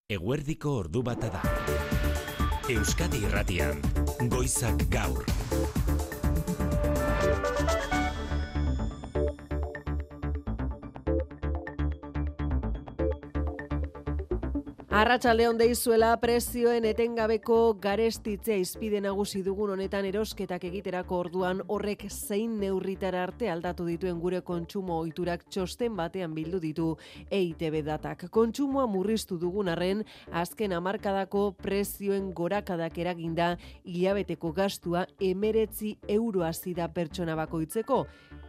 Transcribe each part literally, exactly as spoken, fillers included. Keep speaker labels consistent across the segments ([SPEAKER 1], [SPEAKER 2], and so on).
[SPEAKER 1] Eguerdiko ordu bata da. Euskadi Irratian, Goizak Gaur.
[SPEAKER 2] Arratsaldeon deizuela, prezioen etengabeko garestitzea izpide nagusi dugun honetan erosketak egiterako orduan horrek zein neurritara arte aldatu dituen gure kontsumo ohiturak txosten batean bildu ditu E I T B datak. Kontsumoa murriztu dugun arren, azken hamarkadako prezioen gorakadak eraginda hilabeteko gastua hemeretzi euro hasi da pertsona bakoitzeko.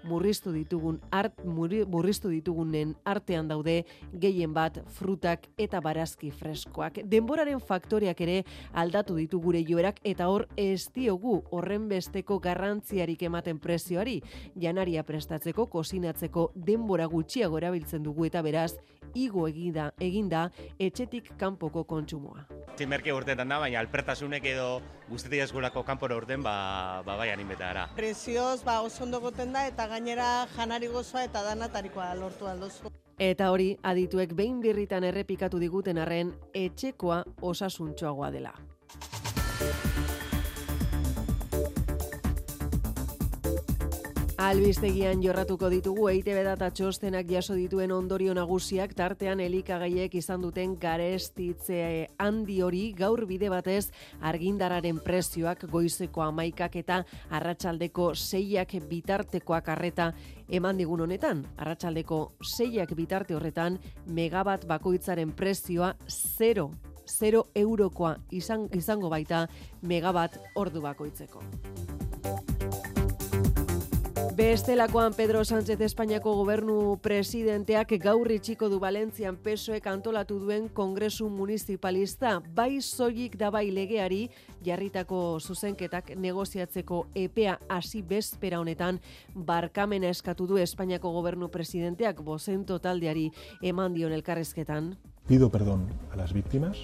[SPEAKER 2] Murriztu ditugun art, murriztu ditugunen artean daude gehien bat frutak eta barazki freskoak. Denboraren faktoreak ere aldatu ditu gure joerak eta hor ez diogu horren besteko garrantziarik ematen prezioari. Janaria prestatzeko, kozinatzeko denbora gutxiago erabiltzen dugu eta beraz igo eginda, eginda etxetik kanpoko kontsumoa.
[SPEAKER 3] Merke urteetan da, baina alpertasunek edo guztetik eskurako kanpora urten, ba, ba bai animbeta gara.
[SPEAKER 4] Prezioz, ba, oso ondo goten da eta gainera janari gozoa eta danatarikoa lortu aldozu.
[SPEAKER 2] Eta hori, adituek behin birritan errepikatu diguten arren, etxekoa osasuntxoagoa dela. Albistegian jorratuko ditugu E I T B data txostenak jaso dituen ondorio nagusiak, tartean elikagaiek izan duten garestitze handi hori. Gaur bide batez argindararen prezioak goizeko hamaikak eta arratsaldeko seiak bitartekoak arreta eman digun honetan. Arratsaldeko seiak bitarte horretan megabat bakoitzaren prezioa zero, zero eurokoa izan, izango baita megabat ordu bakoitzeko. Bestelakoan Pedro Sánchez Espainiako gobernu presidenteak gaur itxiko du Valentzian P S O Ek antolatu duen kongresu municipalista. Bai soilik da bai legeari jarritako zuzenketak negoziatzeko epea hasi bezpera honetan barkamena eskatu du Espainiako gobernu presidenteak Bozento taldeari eman dion elkarrizketan.
[SPEAKER 5] Pido perdón a las víctimas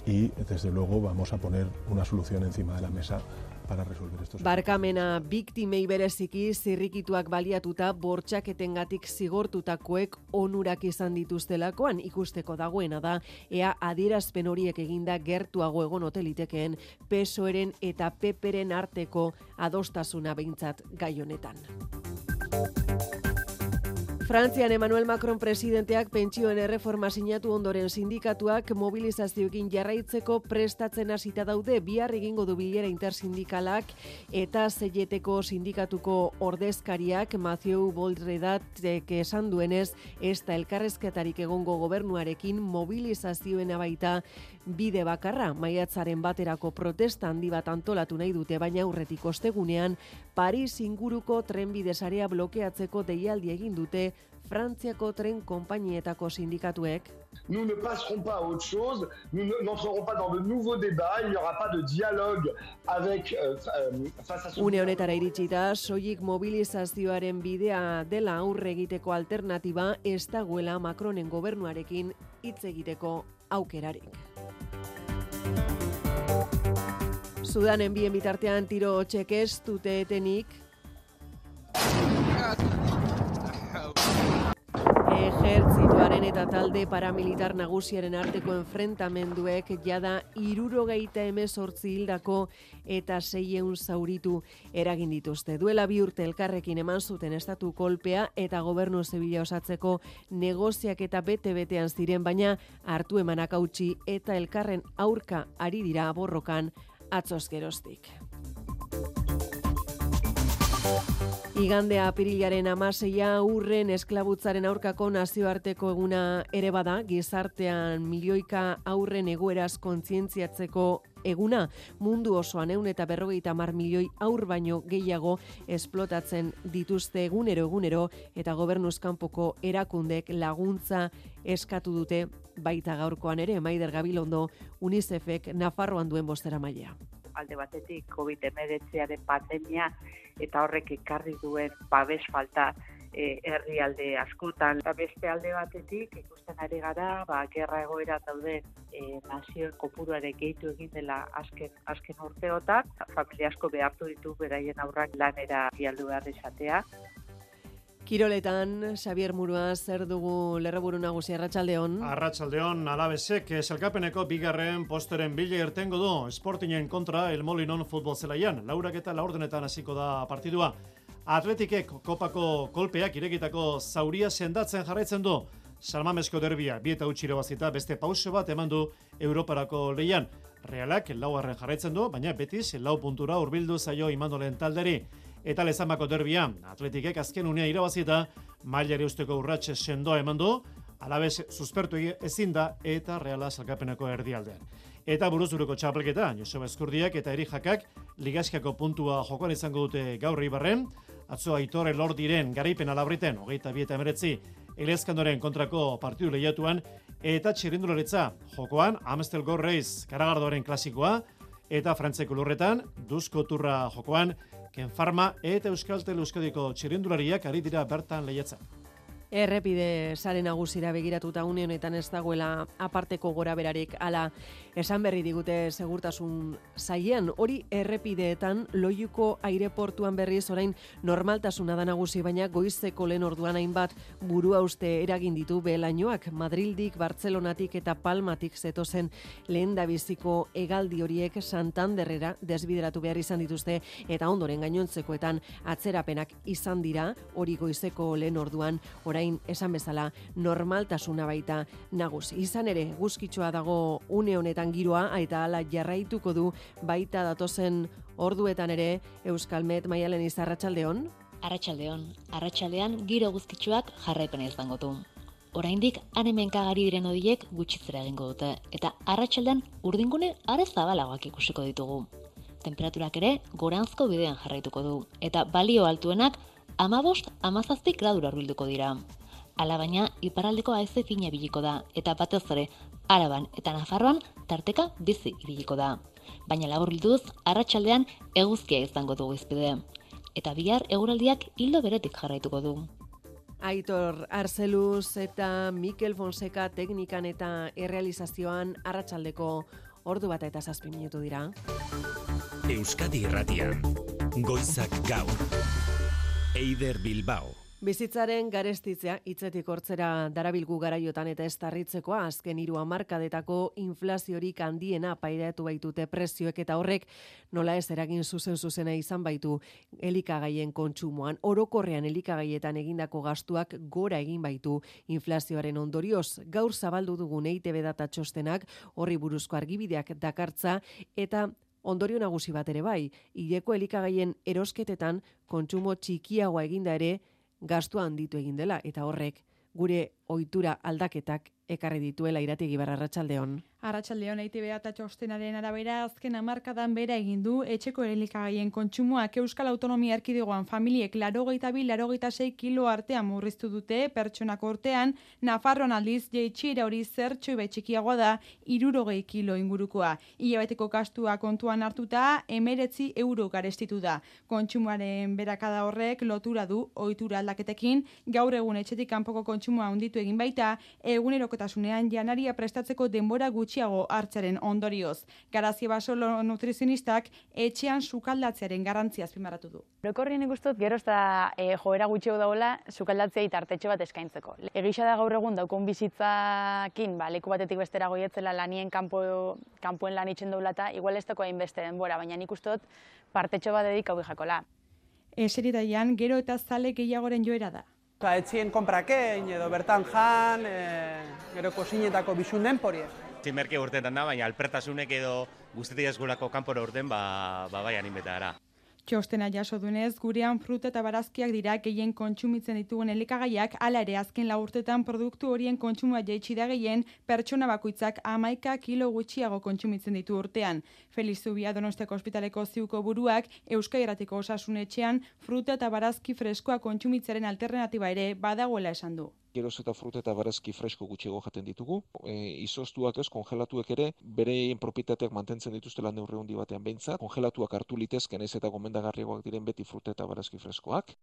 [SPEAKER 5] y desde luego vamos a poner una solución encima de la mesa para resolver estos.
[SPEAKER 2] Barkamena biktimei bereziki zirrikituak baliatuta bortxaketengatik zigortutakoek onurak izan dituztelakoan ikusteko dagoena da ea adierazpen horiek eginda gertuago egon ote litekeen P S O Eren eta P Pren arteko adostasuna behintzat gai honetan. Frantzian Emmanuel Macron presidenteak pentsioen erreforma sinatu ondoren sindikatuak mobilizazioekin jarraitzeko prestatzen hasita daude. Bihar egingo du bilera intersindikalak eta Zeieteko sindikatuko ordezkariak Mathieu Boldredatek esan duenez, ez da elkarrezketarik egongo gobernuarekin mobilizazioen baita bide bakarra. Maiatzaren baterako protesta handi bat antolatu nahi dute, baina aurretik ostegunean Paris inguruko trenbide sarea blokeatzeko deialdi egin dute Frantziako tren konpainietako sindikatuek.
[SPEAKER 6] Nous ne passerons pas à autre chose, nous n'entrerons pas dans de nouveaux débats, il n'y aura pas de dialogue avec euh, face à ce.
[SPEAKER 2] Une honetara iritsita, soilik mobilizazioaren bidea dela aurre egiteko alternatiba ez dagoela Macronen gobernuarekin hitz egiteko aukerarik. Sudanen bien bitartean tiro hotxek ez dute etenik. Ejertzituaren eta talde paramilitar nagusiaren arteko enfrentamenduek jada hirurogeita hemezortzi hildako eta seiehun zauritu eragin dituzte. Duela bi urte elkarrekin eman zuten estatu kolpea eta gobernu zibila osatzeko negoziak eta bete-betean ziren, baina hartu emanak hautsi eta elkarren aurka ari dira borrokan atzoz geroztik. Igandea apirilaren hamaseia urren esklabutzaren aurkako nazioarteko eguna ere bada, gizartean milioika aurren egoeraz kontzientziatzeko eguna. Mundu osoan ehun eta berrogeita hamar milioi aur baino gehiago esplotatzen dituzte egunero egunero eta gobernuz kanpoko erakundek laguntza eskatu dute baita gaurkoan ere. Maider Gabilondo, UNICEFek Nafarroan duen bozeramailea.
[SPEAKER 7] Alde batetik covid hemeretziaren pandemia eta horrek ekarri duen babes falta e, herrialde askotan. Eta beste alde batetik ikusten ari gara, ba, gerra egoera dauden e, nazioen kopuruare gehitu egin dela azken, azken urteotan. Familia asko behartu ditu beraien aurrak lanera bialdu behar izatea.
[SPEAKER 2] Kiroletan, Xabier Murua, zer dugu lerroburu nagusi, arratsaldeon?
[SPEAKER 8] Arratsaldeon, Alabesek selkapeneko bigarren posteren bila irtengo du Sportingen kontra El Molinon futbol zelaian. Laurak eta laurdenetan hasiko da partidua. Atletikek kopako kolpeak irekitako zauria sendatzen jarraitzen du. Salmamesko derbia, bi eta utzi irabazita beste pauso bat eman du Europarako lehian. Realak laugarren jarraitzen du, baina Betis lau puntura hurbildu zaio Imandolen talderi. Eta Lezamako derbia, Atletikek azken unea irabazita, mailari usteko urratxe sendoa eman du, Alabes suspertu ezin da eta Reala salkapeneko erdialdean. Eta buruzuruko txapelketa, Joseba Eskurdiak eta Eri Jakak ligaskako puntua jokoan izango dute gaur Ibarren, atzo Aitor Elordiren garaipen alabriten, hogeita bi eta emeretzi, Elezkandoren kontrako partidu lehiatuan, eta txirrindularitza jokoan, Amstel Gold Race Karagardoaren klasikoa, eta Frantzeko lurretan, Duzko Turra jokoan, Ken Farma eta Euskaltel Euskadiko txirrindulariak ari dira bertan lehiatzen.
[SPEAKER 2] Errepide sare nagusira begiratuta une honetan ez dagoela aparteko goraberarik, ala esan berri digute segurtasun sailean. Hori errepideetan Loiuko aireportuan berriz orain normaltasuna da nagusi, baina goizeko lehen orduan hainbat burua uste eragin ditu behelainoak. Madrildik, Bartzelonatik eta Palmatik zetozen lehendabiziko hegaldi horiek Santanderrera desbideratu behar izan dituzte, eta ondoren gainontzekoetan atzerapenak izan dira, hori goizeko lehen orduan, orain esan bezala normaltasuna baita nagusi. Izan ere, guzkitsua dago une honetan giroa, eta hala jarraituko du baita datozen orduetan ere. Euskalmet, Maialen Izar, arratsaldeon.
[SPEAKER 9] Arratsaldeon. Arratsaldean giro guzkitsuak jarraipena izango du. Oraindik han-hemenkagari diren hodiek gutxitzera egingo dute, eta arratsaldean urdingune are zabalagoak ikusiko ditugu. Temperaturak ere goranzko bidean jarraituko du, eta balio altuenak hamabost hamazazpi gradura hurbilduko dira. Hala baina, iparraldeko haize fina ibiliko da, eta batez ere, Araban eta Nafarroan tarteka bizi ibiliko da. Baina laburbilduz, arratsaldean eguzkia izango dugu izpide. Eta bihar eguraldiak hildo beretik jarraituko du.
[SPEAKER 2] Aitor Arzeluz eta Mikel Fonseca teknikan eta errealizazioan arratsaldeko ordu bata eta zazpi minutu dira.
[SPEAKER 1] Euskadi Irratian, Goizak Gaur. Eider Bilbao.
[SPEAKER 2] Bizitzaren garestitzea hitzetik hortzera darabilgu garaiotan, eta ez tarritzekoa azken hiru hamarkadetako inflaziorik handiena pairatu baitute prezioek, eta horrek nola ez eragin zuzen zuzena izan baitu elikagaien kontsumoan. Orokorrean elikagaietan egindako gastuak gora egin baitu inflazioaren ondorioz. Gaur zabaldu dugun E I Te Be data txostenak horri buruzko argibideak dakartza, eta ondorio nagusi bat ere bai, hileko elikagaien erosketetan kontsumo txikiagoa eginda ere gastua handitu egin dela, eta horrek gure ohitura aldaketak ekarri dituela. Irategi Barra, arratsaldeon.
[SPEAKER 10] Arratsaldeon, E I Te Be data txostenaren arabera azken hamarkadan bera egin du etxeko elikagaien kontsumoak. Euskal Autonomia Erkidegoan familiek laurogeita bi laurogeita sei kilo artean murriztu dute pertsonako urtean. Nafarroan aldiz jaitsiera hori zertxo bai txikiagoa da, hirurogei kilo ingurukoa. Hilabeteko gastua kontuan hartuta hemeretzi euro garestitu da. Kontsumoaren berakada horrek lotura du ohitura aldaketekin. Gaur egun etxetik kanpoko kontsumoa handitu egin baita, egunerokotasunean janaria prestatzeko denbora gutxiago hartzaren ondorioz. Garazi Basolo nutrizionistak etxean sukaldatzearen garrantzia azpimarratu du.
[SPEAKER 11] Orokorrien ikustut gero eta e, joera gutxiago dagoela sukaldatzea tartetxo bat eskaintzeko. Egisa da gaur egun daukun bizitzakin, ba, leku batetik bestera goietzela lanien kanpo, kanpoen lan itxen daula eta igual ez dako hainbeste denbora, baina nik ustot partetxo bat dedikau jakola.
[SPEAKER 10] Eseritaian gero eta zale gehiagoren joera da.
[SPEAKER 12] Etxien konprakein edo bertan jan, e, gero kosinetako bisun denporie.
[SPEAKER 3] Zimerke urteetan da, baina alpertasunek edo guztetik eskolako kanpora urten, ba, ba bai animetara.
[SPEAKER 10] Txostena jaso dunez, gurean fruta eta barazkiak dira gehien kontsumitzen ditugun elikagaiak, hala ere azken lau urtetan produktu horien kontsumoa jaitsi da gehien, pertsona bakoitzak hamaika kilo gutxiago kontsumitzen ditu urtean. Feliz Zubia Donostiako ospitaleko ziuko buruak, Euskadi Irratiko Osasun Etxean fruta eta barazki freskoa kontsumitzearen alternatiba ere badagoela esan du.
[SPEAKER 13] Geroz eta fruta eta barazki fresko gutxiago jaten ditugu. E, izoztuak ez, kongelatuek ere, bereien propietateak mantentzen dituztela neurri handi batean behintzat. Kongelatuak hartu litezken ez eta gomendagarriagoak diren beti fruta eta barazki freskoak.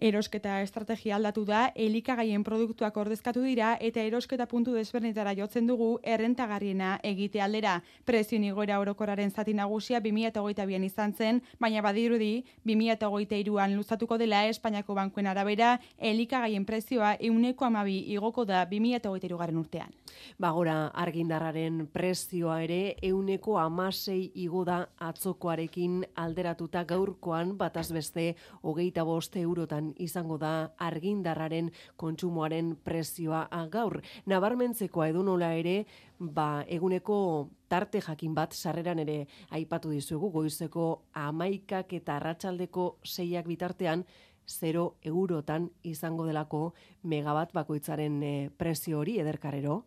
[SPEAKER 10] Erosketa estrategia aldatu da, elikagaien produktuak ordezkatu dira eta erosketa puntu desberdinetara jotzen dugu errentagarriena egite aldera. Prezioen igoera orokorraren zati nagusia bi mila hogeita bian izan zen, baina badirudi bi mila hogeita hiruan luzatuko dela Espainiako bankuen arabera, elikagaien prezioa ehuneko hamabi igoko da bi mila hogeita hirugarren urtean.
[SPEAKER 2] Bagora argindarraren prezioa ere ehuneko hamasei igo da atzokoarekin alderatuta gaurkoan bataz beste hogeita bost eurotan izango da argindarraren kontsumoaren prezioa gaur. Nabarmentzekoa edonola ere, ba, eguneko tarte jakin bat sarreran ere aipatu dizuegu goizeko hamaikak eta arratsaldeko seiak bitartean zero eurotan izango delako megabat bakoitzaren e, prezio hori ederkarero.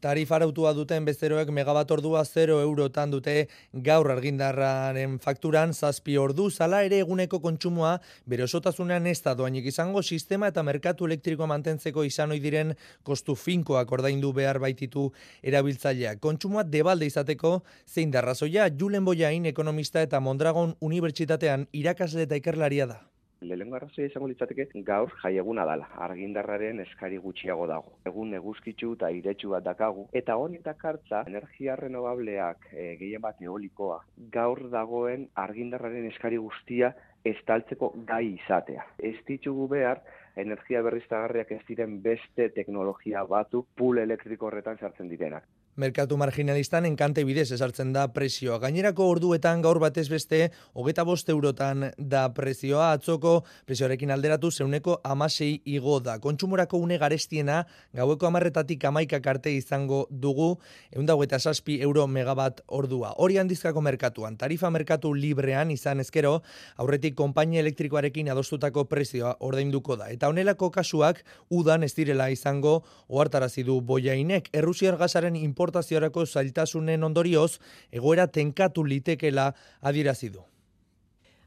[SPEAKER 14] Tarifa arautua duten bezeroek megabat ordua zero eurotan dute gaur argindarraren fakturan zazpi ordu, zala ere eguneko kontsumoa bere osotasunean ez da doainik izango sistema eta merkatu elektrikoa mantentzeko izan ohi diren kostu finkoak ordaindu behar baititu erabiltzaileak. Kontsumoa debalde izateko zein da arrazoia, Julen Bollain ekonomista eta Mondragon Unibertsitatean irakasle eta ikerlaria da.
[SPEAKER 15] Lehenengo arrazoia izango litzateke gaur jaieguna dala, argindarraren eskari gutxiago dago. Egun eguzkitsu eta iretsu bat dakagu, eta hori dakartza energia renovableak e, gehien bat eolikoa, gaur dagoen argindarraren eskari guztia estaltzeko gai izatea. Ez ditugu behar, energia berriztagarriak ez diren beste teknologia batu pool elektriko horretan sartzen direnak.
[SPEAKER 14] Merkatu marginalistan enkante bidez esartzen da prezioa. Gainerako orduetan gaur batez beste hogeita bost eurotan da prezioa, atzoko prezioarekin alderatu zeuneko hamasei igo da. Kontsumorako une garestiena gaueko hamarretatik hamaikak arte izango dugu ehun eta hogeita zazpi euro megabat ordua. Hori handizkako merkatuan, tarifa merkatu librean izan ezkero, aurretik konpainia elektrikoarekin adostutako prezioa ordainduko da. Eta honelako kasuak udan ez direla izango ohartarazi du Bollainek. Errusiar gasaren importaziorako zailtasunen ondorioz egoera tenkatu litekela adierazi du.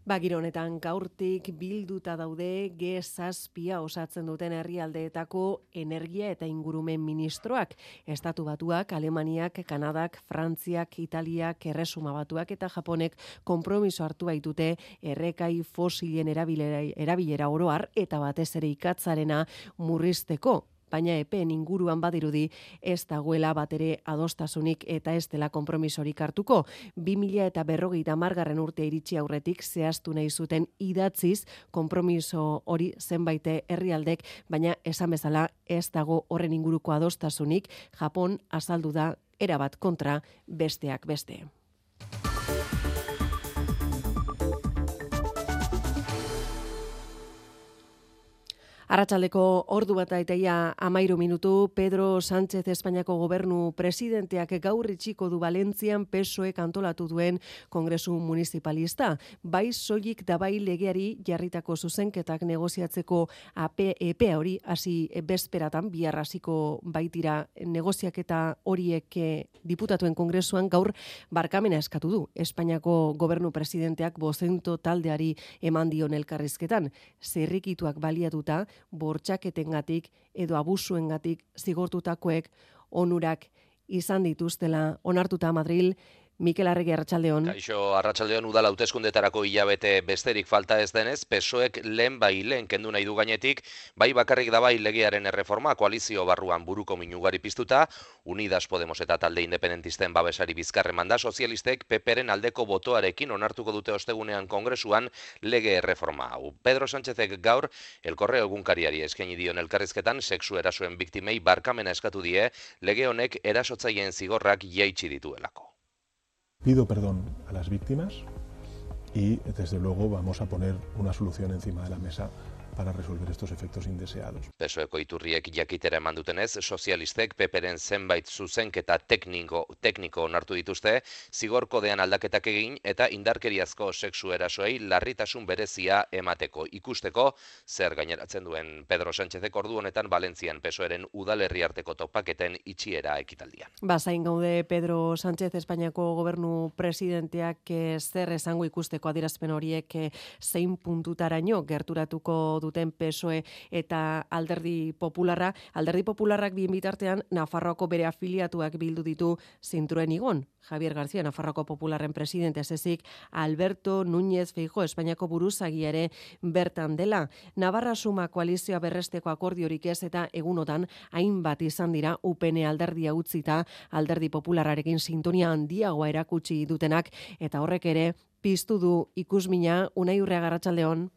[SPEAKER 2] Bagiro honetan gaurtik bilduta daude G zazpia osatzen duten herrialdeetako energia eta ingurumen ministroak. Estatu Batuak, Alemaniak, Kanadak, Frantziak, Italiak, Erresuma Batuak eta Japonek konpromiso hartu baitute errekai fosilen erabilera, erabilera oroar eta batez ere ikatzarena murrizteko. Baina epeen inguruan badirudi ez dagoela batere adostasunik eta ez dela konpromisorik hartuko. bi mila eta berrogeita hamargarren urte iritsi aurretik zehaztu nahi zuten idatziz konpromiso hori zenbaite herrialdek, baina esan bezala ez dago horren inguruko adostasunik. Japon azaldu da erabat kontra besteak beste. Arratsaldeko ordu bat eta amairu minutu, Pedro Sánchez Espainiako gobernu presidenteak gaur itxiko du Valentzian P S O E antolatu duen kongresu municipalista. Bai soilik da bai legeari jarritako zuzenketak negoziatzeko epea hori hasi bezperatan bihar hasiko baitira negoziaketa horiek diputatuen kongresuan gaur barkamena eskatu du. Espainiako gobernu presidenteak bozento taldeari eman dion elkarrizketan. Zerrikituak baliatuta bortxaketengatik edo abusuengatik zigortutakoek onurak izan dituztela onartuta Madril. Mikel Arregi, arratsaldeon.
[SPEAKER 16] Kaixo, arratsaldeon, udal hauteskundetarako hilabete besterik falta ez denez, P S O Ek lehen bai lehen kendu nahi du gainetik, bai bakarrik da bai legearen erreforma koalizio barruan buruko minugari piztuta, Unidas Podemos eta talde independentisten babesari bizkarre manda, sozialistek P Pren aldeko botoarekin onartuko dute ostegunean kongresuan lege erreforma hau. Pedro Sánchezek gaur El Correo egunkariari eskaini dion elkarrizketan sexu erasoen biktimei barkamena eskatu die, lege honek erasotzaileen zigorrak jaitsi dituelako.
[SPEAKER 5] Pido perdón a las víctimas y, desde luego, vamos a poner una solución encima de la mesa para resolver estos efectos indeseados.
[SPEAKER 16] P S O Eko iturriek jakitera eman dutenez, sozialistek P Pren zenbait zuzenketa tekniko, tekniko onartu dituzte, zigor kodean aldaketak egin eta indarkeriazko sexu erasoei larritasun berezia emateko. Ikusteko, zer gaineratzen duen Pedro Sánchezek ordu honetan Valentzian P S O Eren udalerri arteko topaketen itxiera ekitaldian.
[SPEAKER 2] Bazain gaude Pedro Sánchez Espainiako gobernu presidenteak zer esango ikusteko adierazpen horiek zein puntutaraino gerturatuko duten P S O E eta Alderdi Popularra. Alderdi Popularrak bien bitartean Nafarroako bere afiliatuak bildu ditu zintruen igon. Javier García, Nafarroako Popularren presidente ezezik, Alberto Núñez Feijóo, Espainiako buruzagia ere bertan dela. Navarra Suma koalizioa berresteko akordiorik ez eta egunotan hainbat izan dira U P N alderdia utzita Alderdi Popularrarekin sintonia handiagoa erakutsi dutenak eta horrek ere piztu du ikusmina. Unai Urrea, Arratsaldeon.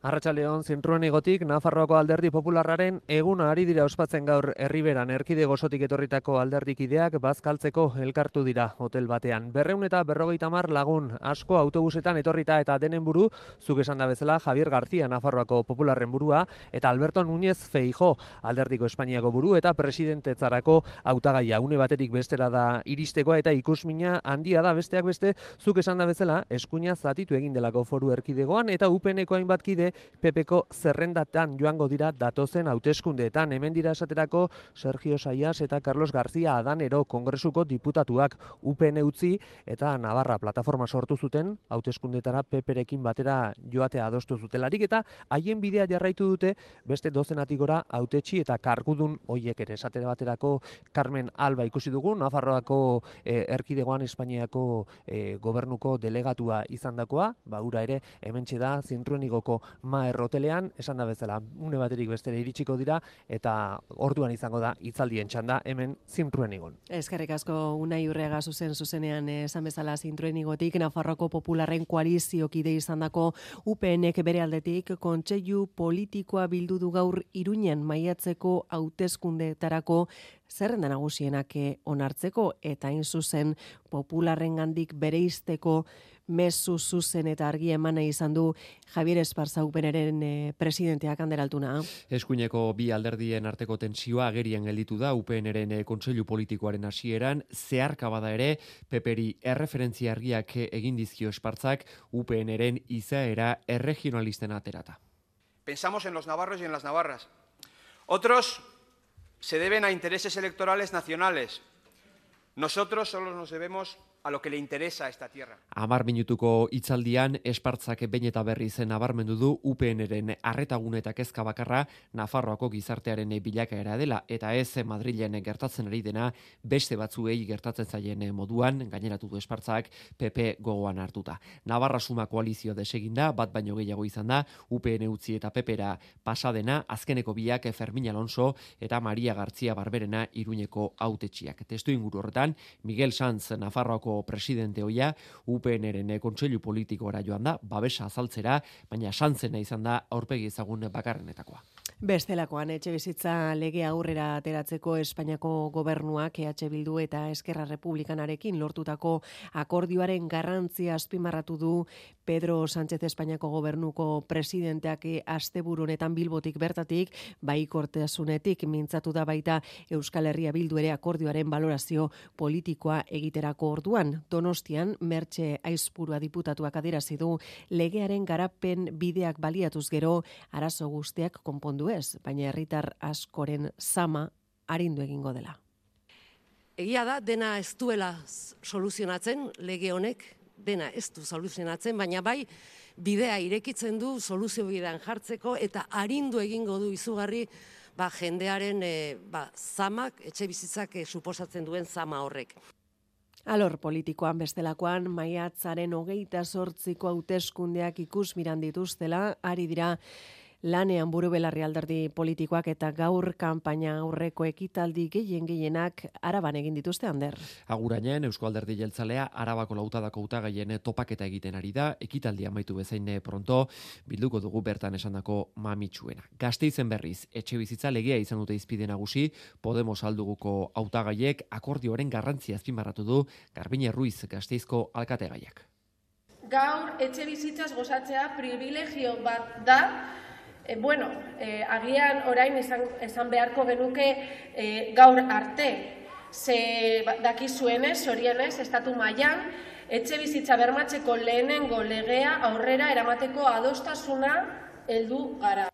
[SPEAKER 17] Arratsaldeon, zintruen igotik, Nafarroako Alderdi Popularraren eguna ari dira ospatzen gaur Herriberan erkidego osotik etorritako alderdikideak bazkaltzeko elkartu dira hotel batean. Berreun eta berrogeita hamar lagun asko autobusetan etorrita eta denen buru, zuk esan da bezala Javier García, Nafarroako Popularren burua, eta Alberto Núñez Feijóo, Alderdiko Espainiako buru eta presidentetzarako hautagaia. Une batetik bestera da iristekoa eta ikusmina handia da, besteak beste, zuk esan da bezala, eskuina zatitu egin delako foru erkidegoan eta U P N-ko hainbat kide P P-ko zerrendatan joango dira datozen hauteskundeetan. Hemen dira esaterako Sergio Saias eta Carlos García Adanero Kongresuko diputatuak U P N utzi eta Navarra plataforma sortu zuten hauteskundeetara P P-rekin batera joatea adostu zutelarik eta haien bidea jarraitu dute beste dozenatik gora hautetsi eta kargudun hoiek ere. Esatera baterako Carmen Alba ikusi dugu, Nafarroako eh, erkidegoan Espainiako eh, gobernuko delegatua izandakoa, ba ura ere hementxe da zintruenigoko Maer hotelean, esan da bezala, une baterik bestera iritsiko dira eta orduan izango da hitzaldien txanda hemen zintruenigon.
[SPEAKER 2] Eskerrik asko Unai Urreaga zuzen zuzenean esan bezala zintruenigotik Nafarroko Popularren koaliziokide izandako U P N-ek bere aldetik kontseilu politikoa bildu du gaur Iruñen maiatzeko hauteskundeetarako zerrenda nagusienak onartzeko eta hain zuzen Popularrengandik bereizteko mezu zuzen eta argi emana izan du Javier Esparza U P N-ren e, presidenteak Ander Altuna.
[SPEAKER 18] Eskuineko bi alderdien arteko tensioa agerian gelditu da U P N-ren e, kontseilu politikoaren hasieran, zeharka bada ere P P-ri erreferentzia argiak egin dizkio Espartzak U P N-ren izaera erregionalisten aterata.
[SPEAKER 19] Pensamos en los navarros y en las navarras. Otros se deben a intereses electorales nacionales. Nosotros solo nos debemos a lo que le interesa a esta tierra.
[SPEAKER 18] Amar minutuko hitzaldian Espartzak behin eta berriz nabarmendu du U P N-ren arretagune eta kezka bakarra Nafarroako gizartearen bilakaera dela eta ez Madrilen gertatzen ari dena beste batzuei gertatzen zaien moduan, gaineratu du Espartzak P P gogoan hartuta. Navarra Suma koalizio deseginda, bat baino gehiago izan da, U P N utzi eta P P-ra pasadena, azkeneko biak Fermin Alonso eta Maria García Barberena Iruñeko hautetsiak. Testu inguru horretan, Miguel Sanz Nafarroako presidente hoia U P N-ren kontseilu politikoara joan da, babesa azaltzera, baina Sanzena izan da aurpegi ezagun bakarrenetakoa.
[SPEAKER 2] Bestelakoan etxe bizitza lege aurrera ateratzeko Espainiako gobernuak E H Bildu eta Eskerra Republikanarekin lortutako akordioaren garrantzia azpimarratu du Pedro Sánchez Espainiako gobernuko presidenteak asteburu honetan Bilbotik bertatik, baikortasunetik mintzatu da baita Euskal Herria Bildu ere akordioaren balorazio politikoa egiterako orduan. Donostian Mertxe Aizpurua diputatuak adierazi du legearen garapen bideak baliatuz gero arazo guztiak konpondu ez, baina herritar askoren zama arindu egingo dela.
[SPEAKER 20] Egia da, dena ez duela soluzionatzen, lege honek, dena ez du soluzionatzen, baina bai bidea irekitzen du soluzio bidean jartzeko eta arindu egingo du izugarri ba, jendearen e, ba, zamak, etxe bizitzak e, suposatzen duen zama horrek.
[SPEAKER 2] Alor politikoan bestelakoan, maiatzaren hogeita zortziko hauteskundeak ikusmiran dituztela, ari dira lanean buru belarri alderdi politikoak eta gaur kanpaina aurreko ekitaldi gehien gehienak Araban egin dituzte, Ander.
[SPEAKER 18] Agurainen, Eusko Alderdi Jeltzalea Arabako lautadako hautagaien topaketa egiten ari da, ekitaldia amaitu bezain pronto, bilduko dugu bertan esandako mamitsuena. Gasteizen berriz, etxe bizitza legea izan dute izpide nagusi, Podemos alduguko hautagaiek akordioaren garrantzia azpimarratu du Garbine Ruiz Gasteizko alkategaiak.
[SPEAKER 21] Gaur etxe bizitzaz gozatzea privilegio bat da. E, bueno, e, agian orain izan, izan beharko genuke e, gaur arte. Ze dakizuenez, zorionez, estatu mailan etxe bizitza bermatzeko lehenengo legea aurrera eramateko adostasuna heldu gara.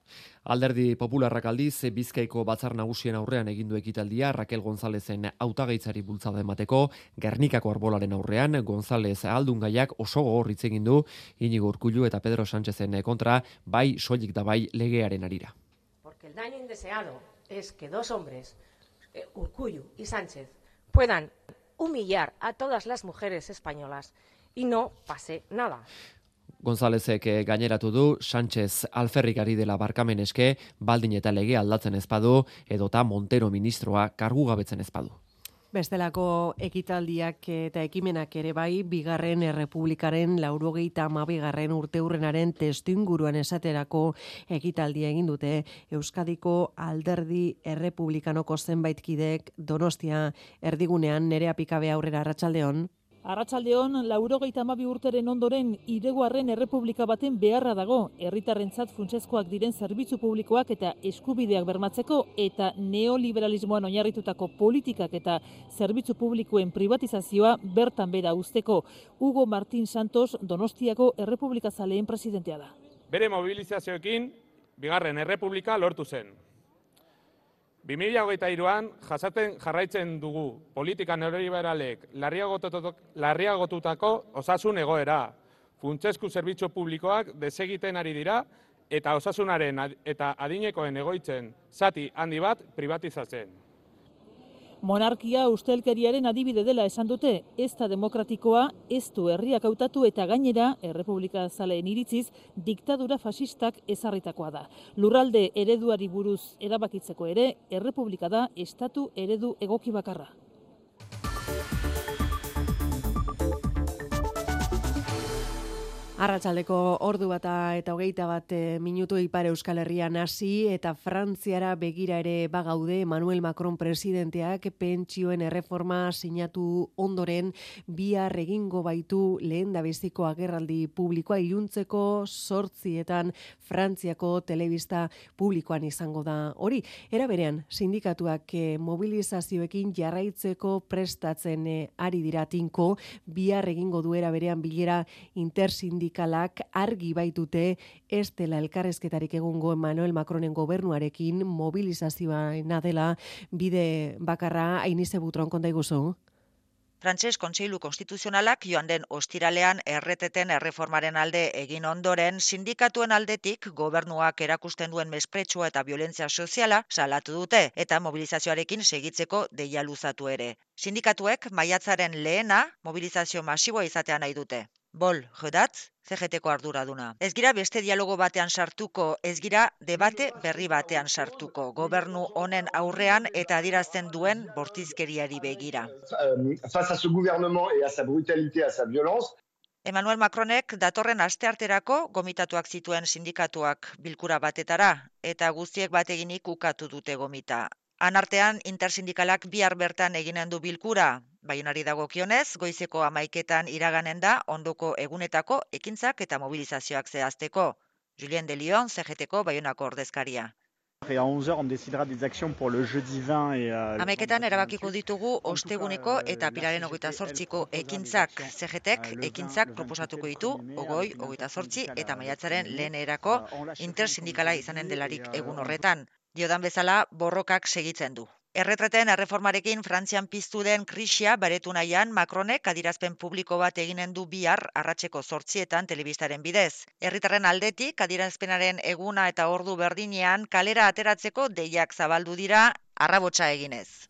[SPEAKER 18] Alderdi Popularrak aldiz, Bizkaiko batzar nagusien aurrean egindu ekitaldia Raquel Gonzalezen hautagaitzari bultzada emateko, Gernikako arbolaren aurrean Gonzalez ahaldungaiak oso gogor hitz egin du Inigo Urkullu eta Pedro Sánchezen kontra, bai soilik da bai legearen arira.
[SPEAKER 4] Porque el daño indeseado es que dos hombres, eh, Urkullu y Sánchez, puedan humillar a todas las mujeres españolas y no pase nada.
[SPEAKER 18] Gonzalezek gaineratu du Sánchez alferrik ari dela barkamen eske, baldin eta lege aldatzen ezpadu, edota Montero ministroa kargugabetzen ezpadu.
[SPEAKER 2] Bestelako ekitaldiak eta ekimenak ere bai, bigarren errepublikaren laurogeita hamabigarren urteurrenaren testuinguruan esaterako ekitaldia egin dute Euskadiko alderdi errepublikanoko zenbait kidek Donostia erdigunean. Nerea Pikabe aurrera, arratsaldeon.
[SPEAKER 22] Arratsaldeon, laurogeita hamabi urteren ondoren hirugarren errepublika baten beharra dago, herritarrentzat funtsezkoak diren zerbitzu publikoak eta eskubideak bermatzeko eta neoliberalismoan oinarritutako politikak eta zerbitzu publikoen privatizazioa bertan bera uzteko. Hugo Martín Santos Donostiako errepublikazaleen presidentea da.
[SPEAKER 23] Bere mobilizazioekin bigarren errepublika lortu zen. bi mila hogeita hiruan jasaten jarraitzen dugu politika neoliberalek larriagotutako osasun egoera. Funtsezko zerbitzu publikoak desegiten ari dira eta osasunaren eta adinekoen egoitzen zati handi bat privatizatzen.
[SPEAKER 22] Monarkia ustelkeriaren adibide dela esan dute, ez da demokratikoa, ez du herriak hautatu eta gainera, errepublika zaleen iritziz, diktadura fasistak ezarritakoa da. Lurralde ereduari buruz erabakitzeko ere, errepublika da estatu eredu egoki bakarra.
[SPEAKER 2] Arratsaldeko ordu bata eta hogeita bat minutu Ipar Euskal Herrian hasi eta Frantziara begira ere bagaude. Emmanuel Macron presidenteak pentsioen erreforma sinatu ondoren bihar egingo baitu lehendabiziko agerraldi publikoa iluntzeko zortzietan Frantziako telebista publikoan izango da hori. Era berean, sindikatuak mobilizazioekin jarraitzeko prestatzen ari dira tinko, bihar egingo duera berean bilera intersindikalak argi baitute ez dela elkarrezketarik egungo Emmanuel Macronen gobernuarekin mobilizazioa dela bide bakarra. Ainize Butron, konta iguzu.
[SPEAKER 24] Frantses Kontseilu Konstituzionalak joan den ostiralean erreteten erreformaren alde egin ondoren, sindikatuen aldetik gobernuak erakusten duen mespretxua eta violentzia soziala salatu dute eta mobilizazioarekin segitzeko deia luzatu ere. Sindikatuek maiatzaren lehena mobilizazio masiboa izatea nahi dute. Bol, jodatz, C G T-ko arduraduna. Ez gira beste dialogo batean sartuko, ez gira debate berri batean sartuko, gobernu honen aurrean eta adierazten duen bortizkeriari begira.
[SPEAKER 6] Face à ce gouvernement et à sa brutalité, à sa violence,
[SPEAKER 24] Emmanuel Macronek datorren astearterako gomitatuak zituen sindikatuak bilkura batetara, eta guztiek bateginik ukatu dute gomita. Anartean, intersindikalak bihar bertan eginen du bilkura. Baionari dagokionez, goizeko hamaiketan iraganen da ondoko egunetako ekintzak eta mobilizazioak zehazteko. Julien de Lyon, C G T-ko Baionako ordezkaria. Hamaiketan erabakiko ditugu osteguneko eta pilaren hogeita zortziko ekintzak. C G T-k ekintzak proposatuko ditu, ogoi, hogeita zortzi eta maiatzaren lehenerako intersindikala izanen delarik egun horretan. Diodan bezala, borrokak segitzen du. Erretreten erreformarekin Frantzian piztu den krisia baretu nahian, Macronek adirazpen publiko bat eginen du bihar arratseko zortzietan telebistaren bidez. Herritarren aldetik adirazpenaren eguna eta ordu berdinean kalera ateratzeko deiak zabaldu dira arrabotsa eginez.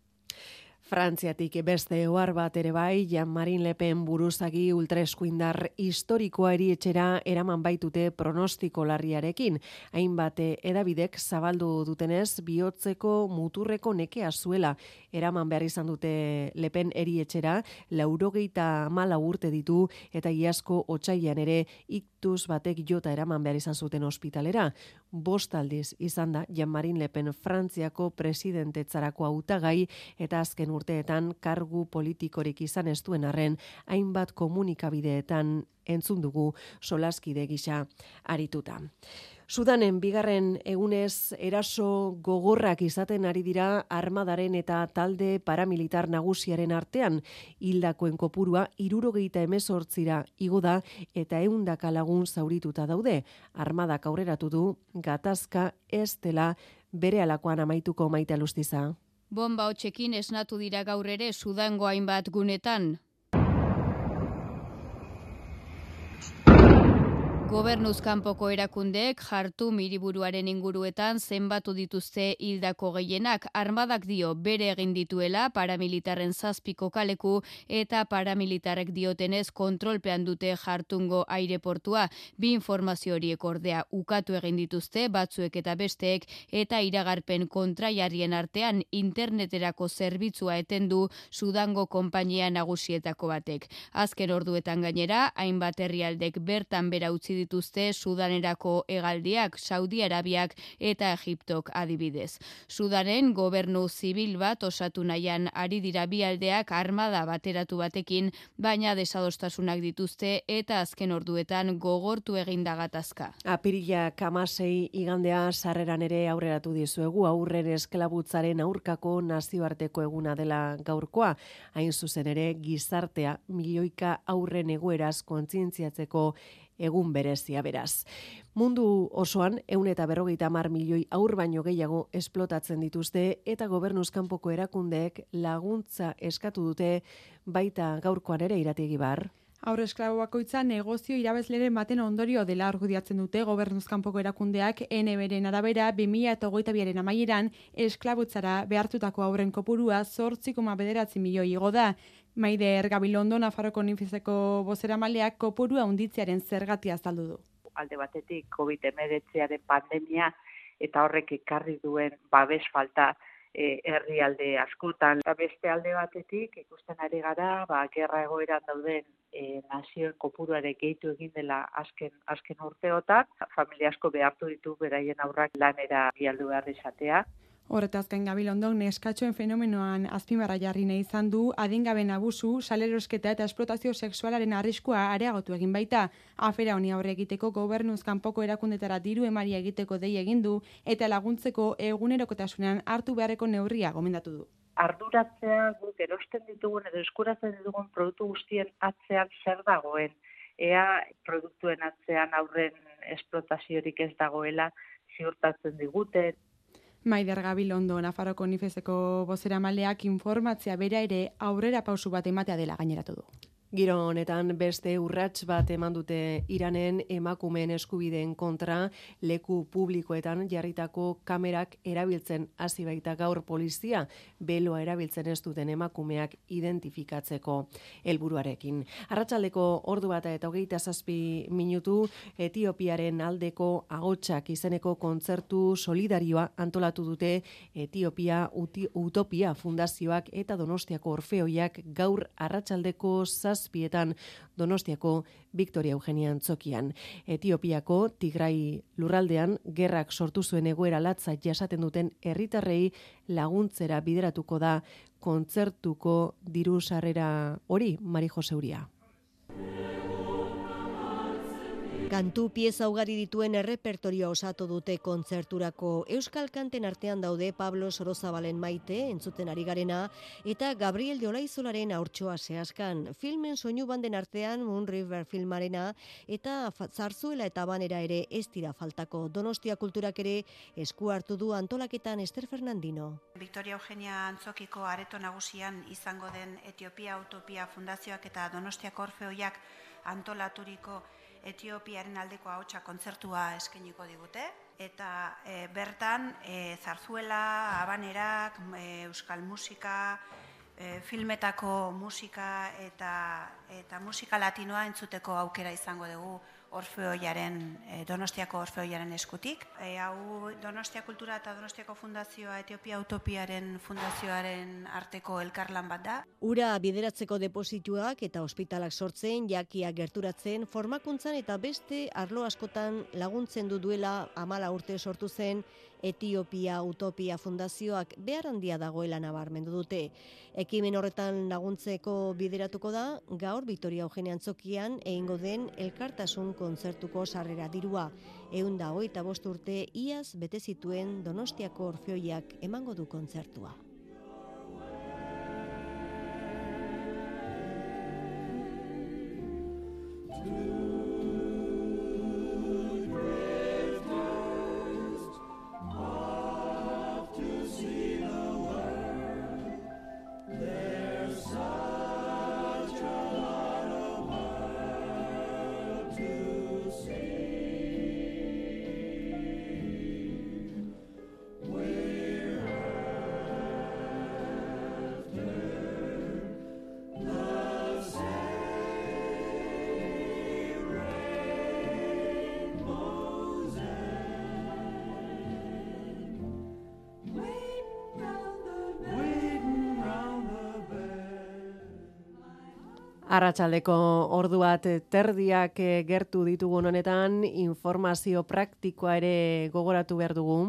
[SPEAKER 2] Frantziatik beste ohar bat ere bai, Jean-Marie Le Pen buruzagi ultraeskuindar historikoa erietxera eraman baitute pronostiko larriarekin. Hainbat edabidek zabaldu dutenez, bihotzeko muturreko nekea zuela eraman behar izan dute Le Pen erietxera, laurogeita hamala urte ditu eta iazko otsailean ere iktus batek jota eraman behar izan zuten ospitalera. Bost aldiz izan da Jean-Marie Le Pen Frantziako presidentetzarako hautagai eta azken urteetan kargu politikorik izan ez duen arren, hainbat komunikabideetan entzun dugu solaskide gisa arituta. Sudanen bigarren egunez eraso gogorrak izaten ari dira armadaren eta talde paramilitar nagusiaren artean. Hildakoen kopurua hirurogeita hemezortzira igo da eta ehundaka lagun zaurituta daude. Armadak aurreratu du gatazka ez dela berehalakoan amaituko. Maite Alustiza.
[SPEAKER 1] Bomba hotzekin esnatu dira gaur ere Sudango hainbat gunetan. Gobernuz kanpoko erakundeek Jartum hiriburuaren inguruetan zenbatu dituzte hildako gehienak. Armadak dio bere egin dituela paramilitarren zazpiko kaleku eta paramilitarrek diotenez kontrolpean dute Jartungo aireportua. Bi informazio horiek ordea ukatu egin dituzte batzuek eta besteek eta iragarpen kontraiarrien artean interneterako zerbitzua etendu Sudango konpainia nagusietako batek. Azken orduetan gainera, hainbat herrialdek bertan bera utzi dituzte Sudanerako hegaldiak, Saudi Arabiak eta Egiptok adibidez. Sudanen gobernu zibil bat osatu nahian ari dira bi aldeak armada bateratu batekin, baina desadostasunak dituzte eta azken orduetan gogortu eginda gatazka.
[SPEAKER 2] Apirilak hamasei igandea sarreran ere aurreratu dizuegu, aurren esklabutzaren aurkako nazioarteko eguna dela gaurkoa, hain zuzen ere gizartea milioika aurren egoeraz kontzientziatzeko egun berezia beraz. Mundu osoan ehun eta berrogeita hamar milioi aur baino gehiago esplotatzen dituzte eta gobernuz kanpoko erakundeek laguntza eskatu dute baita gaurkoan ere Irati Egibar.
[SPEAKER 10] Haur esklabo bakoitza negozio irabazleren baten ondorio dela argudiatzen dute gobernuz kanpoko erakundeak N B-ren arabera bi mila hogeita biaren amaieran esklabutzara behartutako haurren kopurua zortzi koma bederatzi milioi igo da. Maider Gabilondo, Nafarroko Nifizeko bozeramaileak kopurua handitzearen zergatia azaldu du.
[SPEAKER 7] Alde batetik covid hemeretziaren pandemia eta horrek ekarri duen babes falta e, herrialde askotan. Eta beste alde batetik ikusten ari gara, ba, gerra egoeran dauden e, nazioen kopuruare gehitu egin dela azken, azken urteotan. Familia asko behartu ditu beraien aurrak lanera bialdu behar izatea.
[SPEAKER 10] Horretaz gain Gabilondok neskatxoen fenomenoan azpimarra jarri nahi izan du, adingaben abusu, salerosketa eta esplotazio sexualaren arriskua areagotu egin baita. Afera honi aurre egiteko gobernuz kanpoko erakundetara diru emaria egiteko dei egin du eta laguntzeko egunerokotasunean hartu beharreko neurria gomendatu du.
[SPEAKER 7] Arduratzea guk erosten ditugun edo eskuratzen ditugun produktu guztien atzean zer dagoen. Ea produktuen atzean aurren esplotaziorik ez dagoela ziurtatzen diguten.
[SPEAKER 10] Maider Gabilondo, Nafarroko Nifezeko bozeramaileak informatzea bera ere aurrera pausu bat ematea dela gaineratu du.
[SPEAKER 2] Giro honetan beste urrats bat eman dute Iranen emakumeen eskubideen kontra leku publikoetan jarritako kamerak erabiltzen hasi baita gaur polizia beloa erabiltzen ez duten emakumeak identifikatzeko helburuarekin. Arratsaldeko ordu bata eta hogeita zazpi minutu Etiopiaren aldeko ahotsak izeneko kontzertu solidarioa antolatu dute Etiopia Utopia Fundazioak eta Donostiako Orfeoiak gaur arratsaldeko zazpietan Donostiako Victoria Eugenia Antzokian. Etiopiako Tigrai lurraldean gerrak sortu zuen egoera latza jasaten duten herritarrei laguntzera bideratuko da kontzertuko diru sarrera hori, Mari Jose Uria.
[SPEAKER 8] Kantu pieza ugari dituen errepertorioa osatu dute kontzerturako. Euskal kanten artean daude Pablo Sorozabalen Maite, entzuten ari garena, eta Gabriel de Olaizolaren Haurtxoa Seaskan. Filmen soinu banden artean Moon River filmarena eta Zarzuela eta Banera ere ez dira faltako. Donostia Kulturak ere esku hartu du antolaketan Ester Fernandino.
[SPEAKER 9] Victoria Eugenia Antzokiko areto nagusian izango den Etiopia Utopia Fundazioak eta Donostiako Orfeoiak antolaturiko Etiopiaren aldeko ahotsa kontzertua eskainiko digute eta e, bertan e, zarzuela, habanerak, e, euskal musika, e, filmetako musika eta eta musika latinoa entzuteko aukera izango dugu. Orfeoiaren, Donostiako Orfeoiaren eskutik. E, hau Donostia Kultura eta Donostiako Fundazioa Etiopia Utopiaren Fundazioaren arteko elkarlan bat da.
[SPEAKER 8] Ura bideratzeko deposituak eta ospitalak sortzen, jakia gerturatzen, formakuntzan eta beste arlo askotan laguntzen du duela hamala urte sortu zen Etiopia Utopia Fundazioak behar handia dagoela nabarmendu dute. Ekimen horretan laguntzeko bideratuko da, gaur Victoria Eugenia Antzokian egingo den elkartasun kontzertuko sarrera dirua. Ehun eta hogeita bost urte iaz bete zituen Donostiako Orfeoiak emango du kontzertua.
[SPEAKER 2] Arratsaldeko ordu bat terdiak gertu ditugun honetan, informazio praktikoa ere gogoratu behar dugu.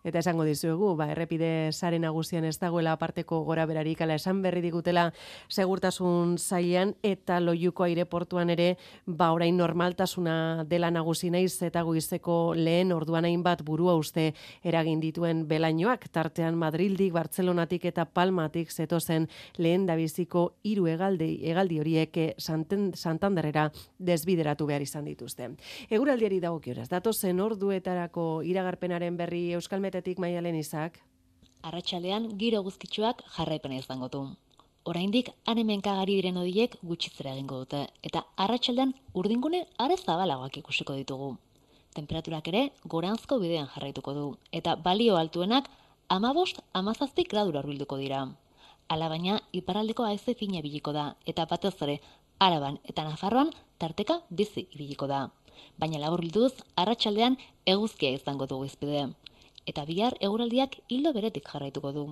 [SPEAKER 2] Eta esango dizuegu, ba, errepide sare nagusian ez dagoela aparteko gora berarik, ala esan berri digutela segurtasun sailean eta Loiuko aireportuan ere, ba, orain normaltasuna dela nagusi naiz eta goizeko lehen orduan hainbat burua uste eragin dituen belainoak, tartean Madrildik, Bartzelonatik eta Palmatik zetozen lehen dabiziko hiru hegaldi, hegaldi horiek Santen, Santanderrera desbideratu behar izan dituzte. Eguraldiari dagokionez, datozen orduetarako iragarpenaren berri Euskal Metetik Maialen Izak.
[SPEAKER 3] Arratsaldean giro guztitsuak jarraipena izango du. Oraindik han-hemenkagari diren hodiek gutxitzera egingo dute eta arratsaldean urdingune are zabalagoak ikusiko ditugu. Tenperaturak ere goranzko bidean jarraituko du eta balio altuenak hamabost hamazazpi gradura hurbilduko dira. Alabaina iparraldeko haize fina ibiliko da eta batez ere Araban eta Nafarroan tarteka bizi ibiliko da. Baina laburbilduz arratsaldean eguzkia izango dugu izpide. Eta bihar eguraldiak hildo beretik jarraituko du.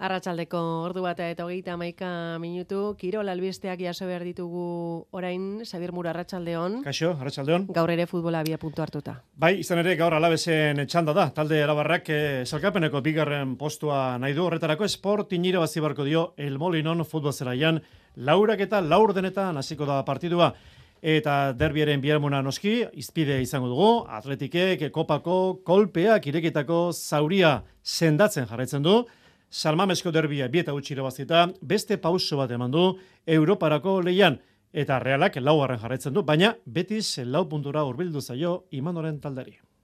[SPEAKER 2] Arratsaldeko ordu bat eta hogeita hamaika minutu, kirol albisteak jaso behar ditugu orain, Xabier Mura, arratsaldeon.
[SPEAKER 11] Kaixo, arratsaldeon.
[SPEAKER 2] Gaur ere futbola abia puntu hartuta.
[SPEAKER 11] Bai, izan ere gaur Alavesen txanda da, talde Arabarrak eh, salkapeneko bigarren postua nahi du, horretarako Sporting irabazi barko dio El Molinon futbol zelaian, laurak eta laur denetan hasiko da partidua. Eta derbiaren biharmuna noski, izpide izango dugu, Atletikek, Kopako, kolpeak irekitako zauria sendatzen jarraitzen du, Salmamesko derbia bieta utzi irabazita, beste pauso bat eman du Europarako leian, eta Realak laugarren jarraitzen du, baina Betis lau puntura hurbildu zaio Imanoren taldari.